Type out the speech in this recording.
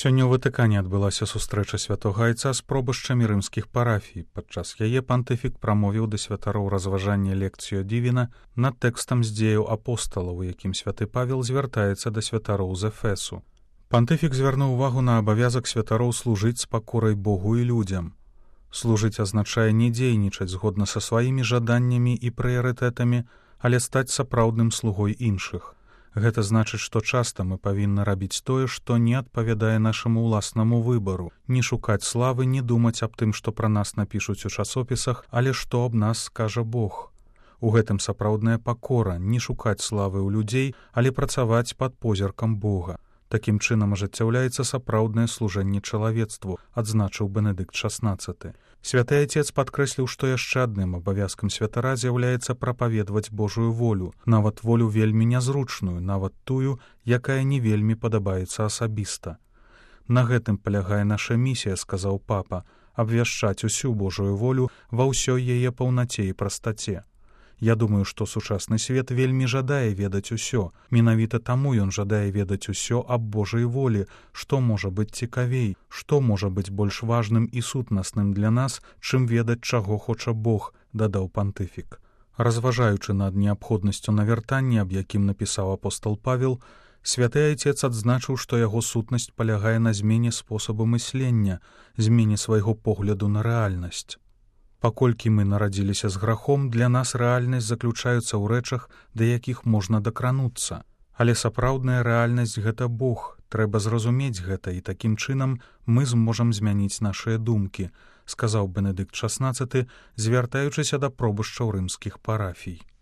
Сёння ў Ватыкане адбылася сустрэча святога айца з пробышчамі рымскіх парафій. Падчас яе пантыфік прамовіў да святароў разважанне лекцыю дівіна над тэкстам з дзеяў апосталаў, у якім святы Павел звяртаецца да святароў з Эфесу. Пантыфік звярнуў увагу на абавязак святароў служыць з пакорай Богу і людзям. Служыць азначае не дзейнічаць згодна са сваімі жаданнямі і прыярытэтамі, але стаць сапраўдным слугой іншых. Гэта значыць, што часта мы павінны рабіць тое, што не адпавядае нашаму ўласнаму выбару, не шукаць славы, не думаць аб тым, што пра нас напішуць у часопісах, але што аб нас скажа Бог. У гэтым сапраўдная пакора, не шукаць славы ў людзей, але працаваць пад позіркам Бога. Такім чынам ажыццяўляецца сапраўднае служэнне чалавецтву, адзначыў Бенедыкт XVI. Святы Айцец падкрэсліў, што яшчэ адным абавязкам святара з'яўляецца прапаведваць Божую волю, нават волю вельмі нязручную, нават тую, якая не вельмі падабаецца асабіста. На гэтым палягае наша місія, сказаў папа, абвяшчаць усю Божую волю ва ўсёй яе паўнаце і прастаце. Я думаю, што сучасны свет вельмі жадае ведаць усё. Менавіта таму ён жадае ведаць усё аб Божай волі, што можа быць цікавей, што можа быць больш важным і сутнасным для нас, чым ведаць, чаго хоча Бог, дадаў пантыфік. Разважаючы над неабходнасцю навяртання, аб якім напісаў апостол Павел, святы Айцец адзначыў, што яго сутнасць палягае на змене спосабу мыслення, змене свайго погляду на рэальнасць. Паколькі мы нарадзіліся з грахом, для нас рэальнасць заключаецца ў рэчах, да якіх можна дакрануцца. Але сапраўдная рэальнасць — гэта Бог. Трэба зразумець гэта, і такім чынам мы зможам змяніць нашыя думкі, сказаў Бенедыкт XVI, звяртаючыся да пробышчаў рымскіх парафій.